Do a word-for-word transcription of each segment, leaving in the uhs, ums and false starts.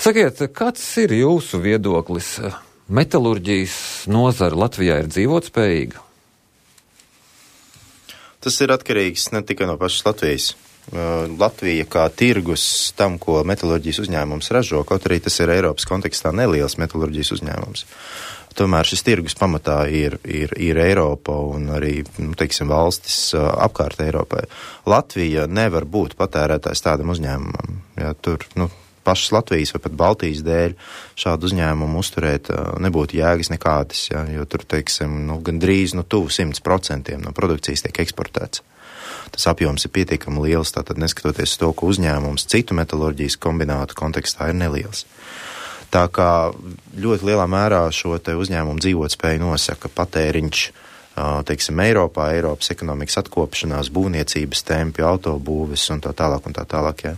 Sakiet, kāds ir jūsu viedoklis? Metalurģijas nozara Latvijā ir dzīvotspējīga? Tas ir atkarīgs ne tikai no pašas Latvijas. Latvija kā tirgus tam, ko metalurģijas uzņēmums ražo, kaut arī tas ir Eiropas kontekstā neliels metalurģijas uzņēmums. Tomēr šis tirgus pamatā ir, ir, ir Eiropa un arī, nu, teiksim, valstis apkārt Eiropai. Latvija nevar būt patērētājs tādam uzņēmumam. Ja, tur, nu, pašas Latvijas vai pat Baltijas dēļ šādu uzņēmumu uzturēt nebūtu jēgas nekādas, ja, jo tur, teiksim, nu, gandrīz nu, tuvu simts procentiem no produkcijas tiek eksportēts. Tas apjoms ir pietiekami liels, tātad neskatoties to, ka uzņēmums citu metalurģijas kombinātu kontekstā ir neliels. Tā kā ļoti lielā mērā šo te uzņēmumu dzīvotspēju nosaka patēriņš, teiksim, Eiropā, Eiropas ekonomikas atkopšanās, būvniecības tempi, autobūves un tā tālāk un tā tālāk. Jā.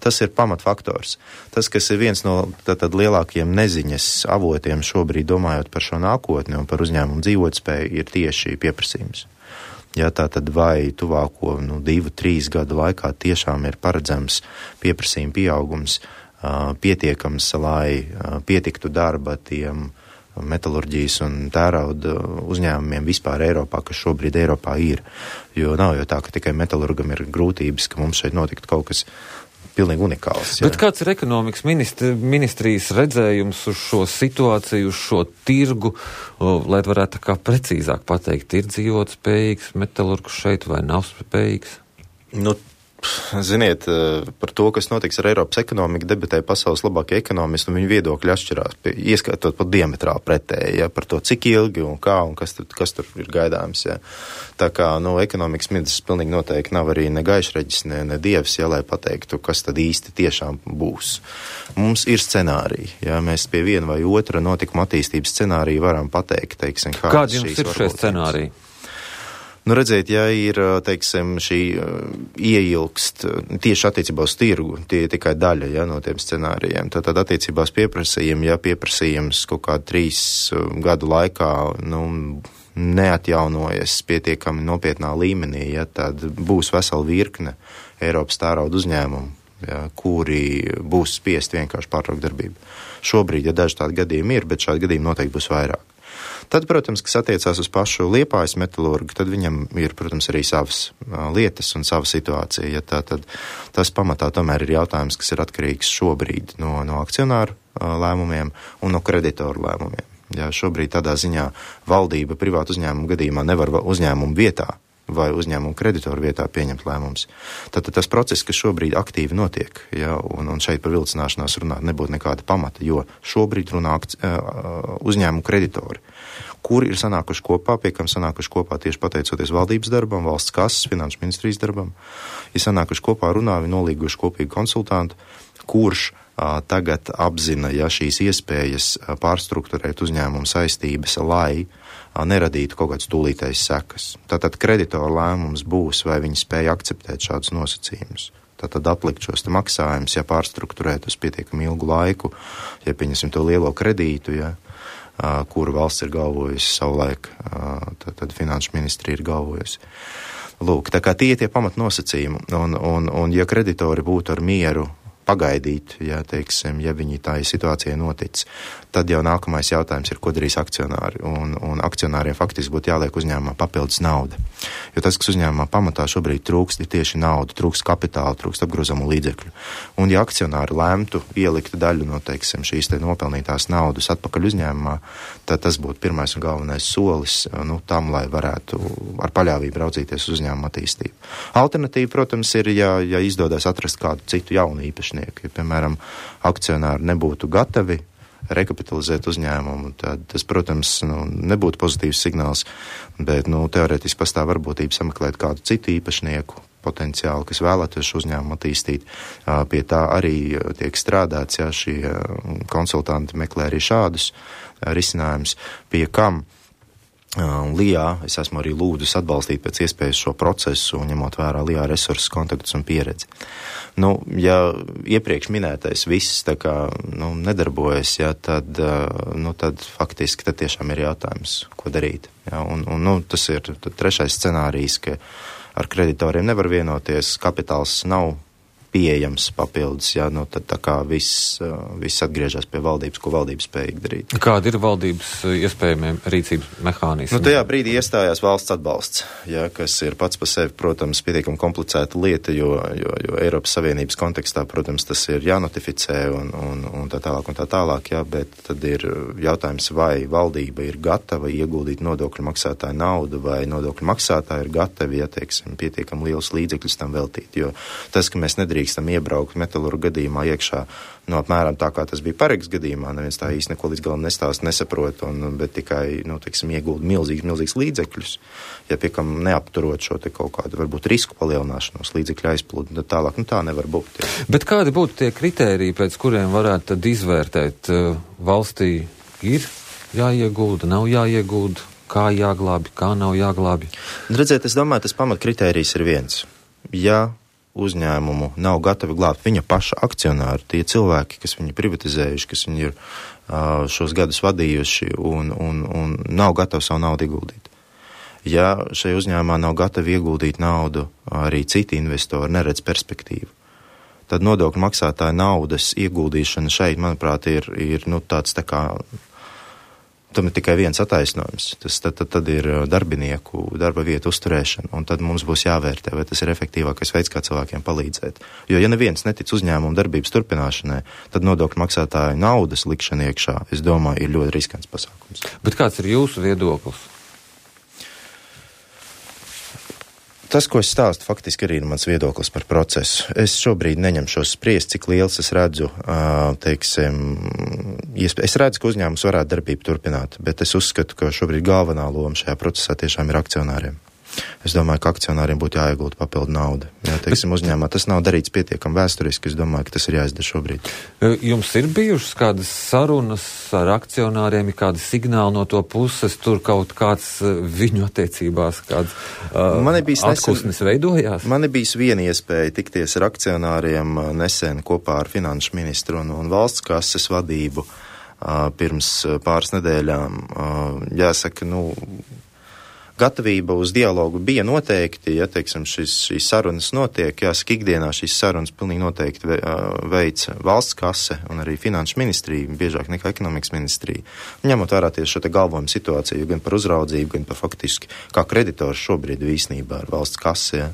Tas ir pamatfaktors. Tas, kas ir viens no tātad lielākajiem neziņas avotiem šobrīd domājot par šo nākotni un par uzņēmumu dzīvotspēju, ir tieši pieprasījums. Ja tā tad vai tuvāko nu, divu, trīs gadu laikā tiešām ir paredzams pieprasījuma pieaugums, pietiekams, lai pietiktu darba tiem metalurģijas un tērauda uzņēmumiem vispār Eiropā, kas šobrīd Eiropā ir. Jo nav jau tā, ka tikai metalurgam ir grūtības, ka mums šeit notiktu kaut kas pilnīgi unikāls. Jā. Bet kāds ir ekonomikas ministri, ministrijas redzējums uz šo situāciju, uz šo tirgu, lai varētu tā kā precīzāk pateikt, ir dzīvotspējīgs metalurgs šeit vai nav spējīgs? Nu, ziniet, par to, kas notiks ar Eiropas ekonomiku, debatē pasaules labākie ekonomisti, un viņu viedokļi atšķirās, ieskatot pat diametrāli pretēji, ja, par to, cik ilgi un kā un kas tur, kas tur ir gaidāms. Ja. Tā kā, nu, ekonomikas ministrs pilnīgi noteikti nav arī ne gaišreģis, ne, ne dievs, ja, lai pateiktu, kas tad īsti tiešām būs. Mums ir scenāriji, ja, mēs pie viena vai otra notikuma attīstības scenārija varam pateikt, teiksim, kādi jums ir šie scenāriji? Nu, redziet, ja ir, teiksim, šī ieilgst tieši attiecībā uz tirgu, tie ir tikai daļa, ja, no tiem scenārijiem. Tad, tad attiecībā uz pieprasījumu, ja pieprasījums kaut kādu trīs gadu laikā, nu, neatjaunojas pietiekami nopietnā līmenī, ja, tad būs vesela virkne Eiropas tērauda uzņēmumu, ja, kuri būs spiest vienkārši pārtraukt darbību. Šobrīd, ja daži tādi gadījumi ir, bet šādi gadījumi noteikti būs vairāk. Tad, protams, kas attiecās uz pašu Liepājas metalurgu, tad viņam ir, protams, arī savas lietas un sava situācija. Ja tā, tad tas pamatā tomēr ir jautājums, kas ir atkarīgs šobrīd no, no akcionāru lēmumiem un no kreditoru lēmumiem. Ja šobrīd tādā ziņā valdība privātu uzņēmumu gadījumā nevar uzņēmumu vietā vai uzņēmumu kreditoru vietā pieņemt lēmumus. Tad tas process, kas šobrīd aktīvi notiek, ja, un, un šeit par vilcināšanās runāt nebūtu nekāda pamata, jo šobrīd runā uzņēmumu kreditori, kuri ir sanākuši kopā, pie kam sanākuši kopā tieši pateicoties valdības darbam, valsts kases, finanšu ministrijas darbam, ir sanākuši kopā runā, viņi nolīguši kopīgu konsultantu, kurš a, tagad apzina, ja šīs iespējas a, pārstruktūrēt uzņēmumu saistības, lai a, neradītu kaut kāds tūlītais sekas. Tātad kreditoru lēmums būs, vai viņi spēja akceptēt šādus nosacījumus. Tātad aplikt šos te maksājumus, ja pārstruktūrēt uz pietiekami ilgu laiku, ja pieņemsim to lielo kredītu, ja, a, kuru valsts ir galvojusi savulaik, a, tad, tad finanšu ministrija ir galvojusi. Lūk, tā kā tie tie pamatnosacījumi, un, un, un ja kreditori būtu ar mieru pagaidīt, ja, teiksim, ja viņi tā situācija notic, tad jau nākamais jautājums ir, ko darīs akcionāri, un, un akcionāriem faktiski būtu jāliek uzņēmumā papildus nauda. Jo tas, kas uzņēmumā pamatā šobrīd trūkst, ir tieši nauda, trūkst kapitāla, trūkst apgrozamu līdzekļu. Un ja akcionāri lemtu ielikt daļu no, teiksim, šīs te nopelnītās naudas atpakaļ uzņēmumā, tad tas būtu pirmais un galvenais solis, nu, tam, lai varētu ar paļāvību raudzīties uz uzņēmumu attīstību. Alternatīva, protams, ir, ja, ja izdodas atrast kādu citu jaunu īpašnieku. Ja, piemēram, akcionāri nebūtu gatavi rekapitalizēt uzņēmumu, tad tas, protams, nu, nebūtu pozitīvs signāls, bet, nu, teorētiski pastāv varbūtība sameklēt kādu citu īpašnieku potenciāli, kas vēlētos šo uzņēmumu attīstīt. Pie tā arī tiek strādāts, ja šie konsultanti meklē arī šādus risinājumus, pie kam Un Lijā es esmu arī lūdzis atbalstīt pēc iespējas šo procesu, ņemot vērā Lijā resursus, kontaktus un pieredzi. Nu, ja iepriekš minētais viss tā kā, nu, nedarbojas, ja, tad, nu, tad faktiski tad tiešām ir jautājums, ko darīt. Ja, un, un, nu, tas ir trešais scenārijs, ka ar kreditoriem nevar vienoties, kapitāls nav pieejams papildus, jā, nu tad tā kā viss, viss atgriežas pie valdības, ko valdības spējīgi darīt. Kāda ir valdības iespējamie rīcības mehānismi? Nu, tajā brīdī iestājās valsts atbalsts, jā, kas ir pats par sevi, protams, pietiekami komplicēta lieta, jo, jo, jo Eiropas Savienības kontekstā, protams, tas ir jānotificē un, un, un tā tālāk un tā tālāk, jā, bet tad ir jautājums, vai valdība ir gatava ieguldīt nodokļu maksātāju naudu, vai nodokļu maksātāji ir gatavi, ja, teiksim, pietiekami lielus līdzekļus tam veltīt, jo tas, ka mēs nedrīkstam iebraukt metalurgu gadījumā iekšā, no apmēram tā, kā tas bija Paregas gadījumā, neviens tā īsti neko līdz galam nestāst, nesaprot, un, bet tikai, nu, teiksim, iegulda milzīgs, milzīgs līdzekļus, ja piekam neapturot šo te kaut kādu, varbūt, risku palielināšanos, līdzekļu aizplūdu, tad tālāk, nu, tā nevar būt. Jā. Bet kādi būtu tie kritēriji, pēc kuriem varētu tad izvērtēt, valstī ir jāiegulda, nav jāiegulda, kā jāglābi, kā nav jāglābi? Redziet, es domāju, tas pamatkritērijs ir viens. Ja uzņēmumu nav gatavi glābt viņa paša akcionāri, tie cilvēki, kas viņu privatizējuši, kas viņu ir uh, šos gadus vadījuši un, un, un nav gatavi savu naudu ieguldīt. Ja šai uzņēmumā nav gatavi ieguldīt naudu, arī citi investori neredz perspektīvu, tad nodokļu maksātāja naudas ieguldīšana šeit, manuprāt, ir, ir nu, tāds tā kā, tam ir tikai viens attaisnojums. Tas tad, tad, tad ir darbinieku darba vietu uzturēšana, un tad mums būs jāvērtē, vai tas ir efektīvākais veids, kā cilvēkiem palīdzēt. Jo, ja neviens netic uzņēmumu darbības turpināšanai, tad nodokļu maksātāju naudas likšana iekšā, es domāju, ir ļoti riskants pasākums. Bet kāds ir jūsu viedoklis? Tas, ko es stāstu, faktiski arī ir mans viedoklis par procesu. Es šobrīd neņemšos spriest, cik liels es redzu, teiksim, es redzu, ka uzņēmums varētu darbību turpināt, bet es uzskatu, ka šobrīd galvenā loma šajā procesā tiešām ir akcionāriem. Es domāju, ka akcionāriem būtu jāiegulda papildu nauda. Jā, teiksim, uzņēmumā tas nav darīts pietiekami vēsturiski, es domāju, ka tas ir jāizdara šobrīd. Jums ir bijušas kādas sarunas ar akcionāriem, ir kādi signāli no to puses, tur kaut kāds viņu attiecībās, kāds uh, atkusnis veidojās? Man ir bijis viena iespēja tikties ar akcionāriem nesen kopā ar finanšu ministru un, un valsts kases vadību uh, pirms pāris nedēļām. Uh, jāsaka, nu, gatavība uz dialogu bija noteikti, ja, teiksim, šis, šīs sarunas notiek, jāsaka, ikdienā šīs sarunas pilnīgi noteikti veic valsts kase un arī finanšu ministrija, biežāk nekā ekonomikas ministrija. Ņemot vērā tieši šo te galvojumu situāciju, gan par uzraudzību, gan par faktiski kā kreditors šobrīd īsnībā ar valsts kase, ja.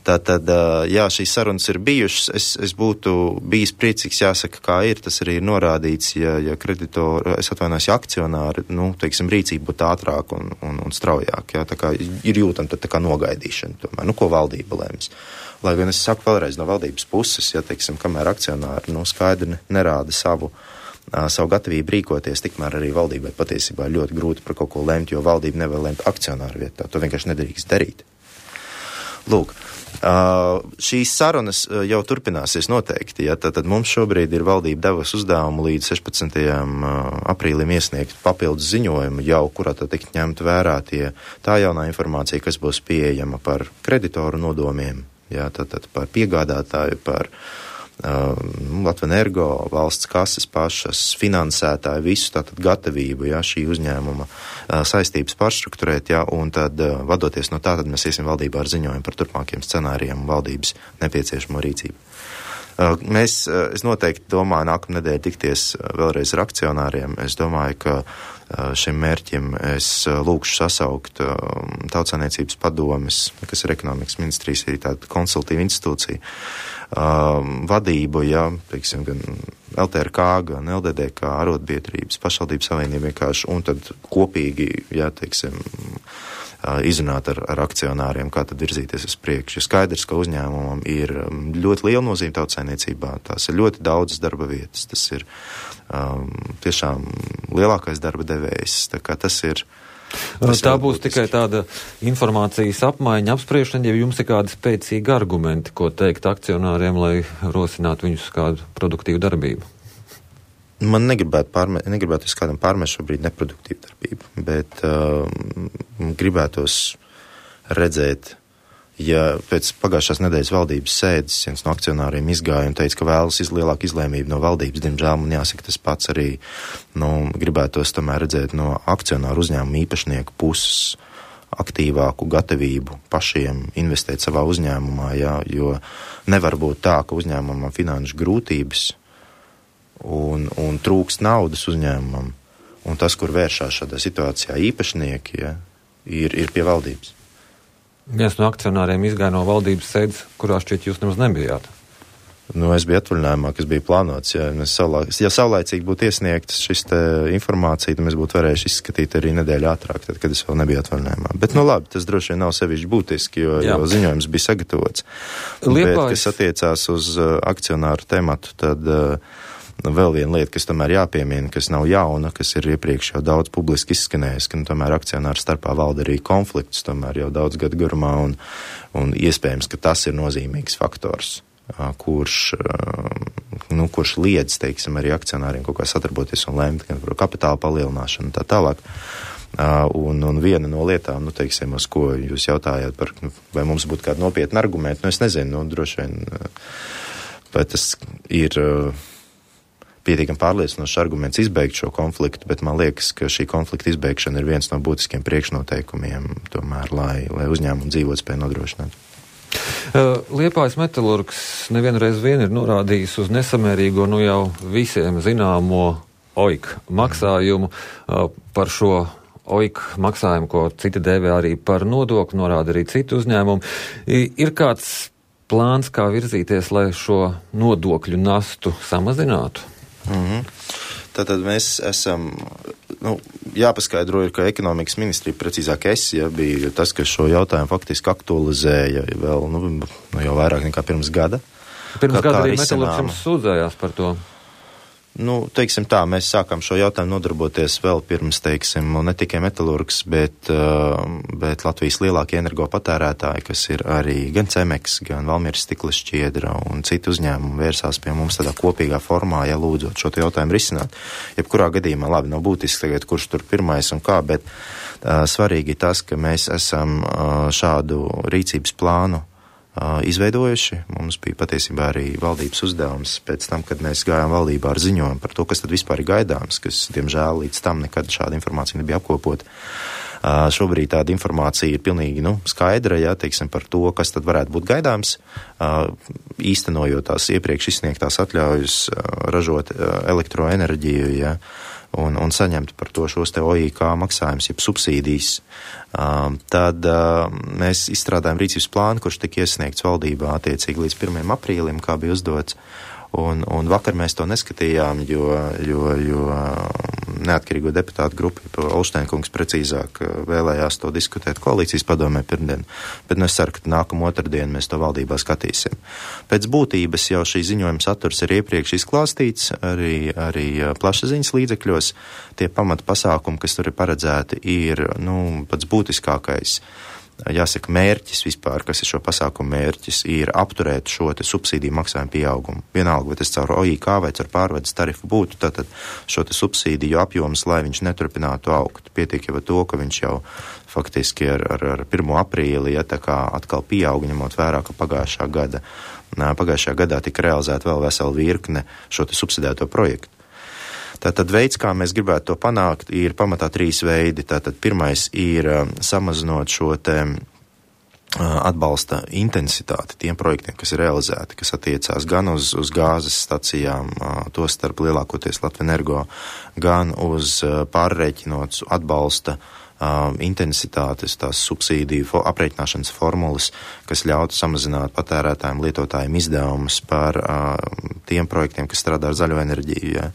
Tātad, jā, šīs sarunas ir bijušas, es, es būtu bijis priecīgs, jāsaka, kā ir, tas arī ir norādīts, ja, ja kreditori, es atvainojos, ja akcionāri, nu, teiksim, rīcība būtu ātrāk un, un, un straujāk, jā, tā kā ir jūtam tad tā kā nogaidīšana, tomēr, nu, ko valdība lēms. Lai gan es saku vēlreiz no valdības puses, ja, teiksim, kamēr akcionāri, nu, skaidri nerāda savu, savu gatavību rīkoties, tikmēr arī valdībai patiesībā ļoti grūti par kaut ko lemt, jo valdība nevar lemt akcionāru vietā, to vienkārši nedrīkst darīt. Lūk. Uh, šīs sarunas uh, jau turpināsies noteikti, ja, tad, tad mums šobrīd ir valdība devusi uzdevumu līdz sešpadsmitajam aprīlim iesniegt papildus ziņojumu jau, kurā tad tikt ņemt vērā tie, tā jaunā informācija, kas būs pieejama par kreditoru nodomiem, ja, tad, tad par piegādātāju, par uh, Latvenergo, valsts kases pašas, finansētāju, visu tātad gatavību, ja, šī uzņēmuma uh, saistības pārstrukturēt, ja, un tad uh, vadoties no tā, tad mēs iesim valdībā ar ziņojumu par turpmākiem scenārijiem un valdības nepieciešamo rīcību. Uh, mēs, uh, es noteikti domāju, nākamā nedēļa tikties uh, vēlreiz ar akcionāriem. Es domāju, ka uh, šim mērķim es uh, lūkšu sasaukt uh, Tautsāniecības padomes, kas ir ekonomikas ministrijas, arī tāda konsultīva institūcija, uh, vadību, ja, teiksim, gan L T R K, gan L D D K, arotbiedrības, pašvaldības savienība vienkārši, un tad kopīgi, ja, teiksim, izrunāt ar, ar akcionāriem, kā tad virzīties uz priekšu. Skaidrs, ka uzņēmumam ir ļoti liela nozīme tautsaimniecībā, tās ir ļoti daudzas darba vietas, tas ir um, tiešām lielākais darba devējs, tā kā tas ir. Tas tā būs būtiski. Tikai tāda informācijas apmaiņa, apspriešana, ja jums ir kādi spēcīgi argumenti, ko teikt akcionāriem, lai rosinātu viņus kādu produktīvu darbību. Man negribētu, pārme, negribētu es kādam pārmest šobrīd neproduktīvu darbību, bet uh, gribētos redzēt, ja pēc pagājušās nedēļas valdības sēdes viens no akcionāriem izgāja un teica, ka vēlas iz, lielāku izlēmību no valdības, diemžēl man jāsaka tas pats arī, nu, gribētos tomēr redzēt no akcionāru uzņēmumu īpašnieku puses aktīvāku gatavību pašiem investēt savā uzņēmumā, jā, jo nevar būt tā, ka uzņēmumam finanšu grūtības un, un trūkst naudas uzņēmumam, un tas, kur vēršās šādā situācijā īpašnieki, jā, ir, ir pie valdības. Viens no akcionāriem izgāja no valdības sēdes, kurā šķiet jūs nemaz nebijāt. Nu, es biju atvaļinājumā, kas bija plānots. Ja, saulā, ja saulaicīgi būtu iesniegts šis te informācija, tad mēs būtu varējuši izskatīt arī nedēļu ātrāk, tad, kad es vēl nebiju atvaļinājumā. Bet, nu labi, tas droši vien nav sevišķi būtiski, jo, jo ziņojums bija sagatavots. Liepājas. Bet, kas attiecās uz uh, akcionāru tematu, tad uh, vēl viena lieta, kas tomēr jāpiemina, kas nav jauna, kas ir iepriekš jau daudz publiski izskanējis, ka nu, tomēr akcionāru starpā valda arī konflikts tomēr jau daudz gadu garumā, un, un iespējams, ka tas ir nozīmīgs faktors, kurš, nu, kurš liedz, teiksim, arī akcionāriem kaut kā sadarboties un lemt gan par kapitāla palielināšanu un tā tālāk. Un, un viena no lietām, nu, teiksim, uz ko jūs jautājāt par, nu, vai mums būtu kādi nopietni argumenti, nu, es nezinu, nu, droši vien, vai tas ir pietiekami pārliecinošs arguments izbeigt šo konfliktu, bet man liekas, ka šī konflikta izbeigšana ir viens no būtiskiem priekšnoteikumiem, tomēr, lai, lai uzņēmumu dzīvotspēju nodrošinātu. Liepājas metalurgs nevienreiz vien ir norādījis uz nesamērīgo, nu jau visiem zināmo O I K maksājumu. Par šo O I K maksājumu, ko citi dēvē arī par nodokli, norāda arī citu uzņēmumu. Ir kāds plāns, kā virzīties, lai šo nodokļu nastu samazinātu? Mhm. Tātad mēs esam, nu, jāpaskaidro ir, ka ekonomikas ministrija, precīzāk es, ja, bija tas, kas šo jautājumu faktiski aktualizēja vēl, nu, jau vairāk nekā pirms gada. Pirms kā, gada arī metalurgs jums sūdzējās par to. Nu, teiksim tā, mēs sākām šo jautājumu nodarboties vēl pirms, teiksim, ne tikai metalurgs, bet, bet Latvijas lielākie energopatērētāji, kas ir arī gan Cemeks, gan Valmieras stikla šķiedra un citi uzņēmumi vērsās pie mums tādā kopīgā formā, ja lūdzot šo jautājumu risināt. Jebkurā gadījumā, labi, nav būtiski tagad, kurš tur pirmais un kā, bet uh, svarīgi tas, ka mēs esam uh, šādu rīcības plānu izveidojuši. Mums bija patiesībā arī valdības uzdevums pēc tam, kad mēs gājām valdībā ar ziņojumu par to, kas tad vispār ir gaidāms, kas, diemžēl, līdz tam nekad šāda informācija nebija apkopota. Uh, šobrīd tāda informācija ir pilnīgi, nu, skaidra, ja, teiksim, par to, kas tad varētu būt gaidāms, uh, īstenojot tās iepriekš izsniegtās atļaujas uh, ražot uh, elektroenerģiju, ja, un, un saņemt par to šos te O I K maksājumus, jeb subsīdijas. Uh, tad uh, mēs izstrādājam rīcības plānu, kurš tika iesniegts valdībā attiecīgi līdz pirmajam aprīlim, kā bija uzdots. Un, un vakar mēs to neskatījām, jo, jo, jo neatkarīgo deputātu grupa, Olšteinkungs precīzāk vēlējās to diskutēt koalīcijas padomē pirmdien, bet nu es ceru, ka nākamā otrdien mēs to valdībā skatīsim. Pēc būtības jau šī ziņojuma saturs ir iepriekš izklāstīts arī, arī plašsaziņas līdzekļos. Tie pamata pasākumi, kas tur ir paredzēti, ir, nu, pats būtiskākais. Jāsaka, mērķis vispār, kas ir šo pasākumu mērķis, ir apturēt šo te subsīdiju maksājumu pieaugumu. Vienalga, vai tas caur O I K vai caur pārvades tarifu būtu, tātad šo te subsīdiju apjoms, lai viņš neturpinātu augt. Pietiek jau ar to, ka viņš jau faktiski ar, ar, ar pirmo aprīli, ja tā kā atkal pieauga, ņemot vērā, ka pagājušā gada, pagājušajā gadā tika realizēta vēl vesela virkne šo te subsidēto projektu. Tātad veids, kā mēs gribētu to panākt, ir pamatā trīs veidi. Tātad pirmais ir uh, samazinot šo te uh, atbalsta intensitāti tiem projektiem, kas ir realizēti, kas attiecās gan uz, uz gāzes stacijām, uh, to starp lielākoties Latvenergo, gan uz uh, pārreķinot atbalsta uh, intensitātes, tās subsīdiju fo- aprēķināšanas formulas, kas ļautu samazināt patērētājiem, lietotājiem izdevumus par uh, tiem projektiem, kas strādā ar zaļo enerģiju. Ja.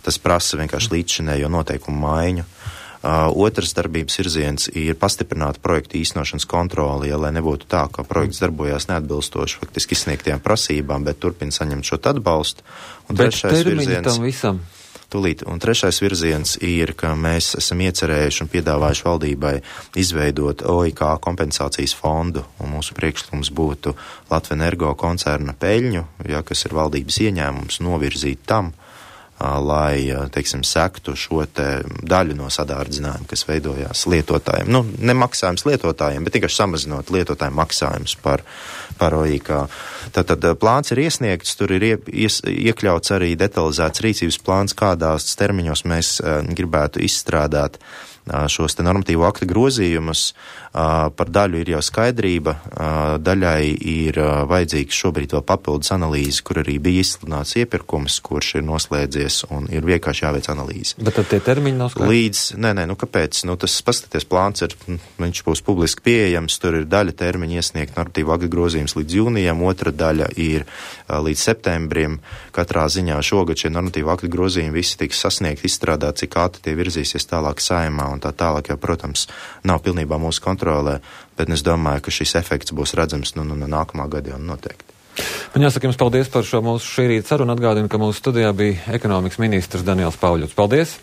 Tas prasa vienkārši līdzšinējo noteikumu maiņu. Uh, otrs darbības virziens ir pastiprināt projektu īstenošanas kontroli, ja, lai nebūtu tā, ka projekts darbojās neatbilstoši faktiski izsniegtajām prasībām, bet turpina saņemt šo atbalstu. Un bet termiņi tam visam? Tūlīt. Un trešais virziens ir, ka mēs esam iecerējuši un piedāvājuši valdībai izveidot O I K kompensācijas fondu, un mūsu priekšlikums būtu Latvenergo koncerna peļņu, ja, kas ir valdības ieņēmums, novirzīt tam, lai, teiksim, sektu šo te daļu no sadārdzinājumu, kas veidojās lietotājiem. Nu, ne maksājums lietotājiem, bet tikai samazinot lietotājiem maksājumus par, par O I K. Tātad plāns ir iesniegts, tur ir ie, ies, iekļauts arī detalizēts rīcības plāns, kādās termiņos mēs uh, gribētu izstrādāt šos te normatīvo aktu grozījumus. Par daļu ir jau skaidrība, daļai ir vajadzīgs šobrīd vēl papildus analīze, kur arī bija izsludināts iepirkums, kurš ir noslēdzies un ir vienkārši jāveic analīze. Bet tad tie termiņi nav skaidri? Līdz, nē, nē, nu kāpēc? Nu, tas paskaties plāns ir, viņš būs publiski pieejams, tur ir daļa termiņa iesniegt normatīvu aktu grozījums līdz jūnijam, otra daļa ir līdz septembrim. Katrā ziņā šogad šie normatīvu aktu grozījumi visi tiks sasniegt, izstrādāt, cik ātri tie virzīsies tālāk saimā un tā tālāk, jo, protams, nav pilnībā mūsu kontrolē, bet es domāju, ka šis efekts būs redzams nu, nu, no nākamā gada jau noteikti. Man jāsaka jums paldies par šo mūsu šī rīta sarunu. Atgādinu, ka mūsu studijā bija ekonomikas ministrs Daniels Pauļots. Paldies!